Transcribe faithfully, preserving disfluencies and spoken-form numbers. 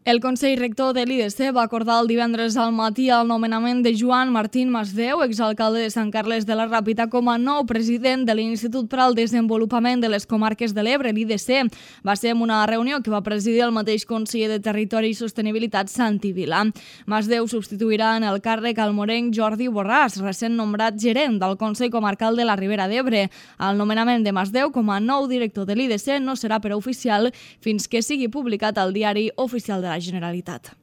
El Consell Rector de l'I D C va acordar el divendres al matí el nomenament de Joan Martín Masdeu, exalcalde de Sant Carles de la Ràpita, com a nou president de l'Institut per al Desenvolupament de les Comarques de l'Ebre, l'I D C. Va ser en una reunió que va presidir el mateix conseller de Territori i Sostenibilitat, Santi Vila. Masdeu substituirà en el càrrec al morenc Jordi Borràs, recent nombrat gerent del Consell Comarcal de la Ribera d'Ebre. El nomenament de Masdeu com a nou director de l'I D C no serà per oficial fins que sigui publicat al Diari Oficial de la Generalitat.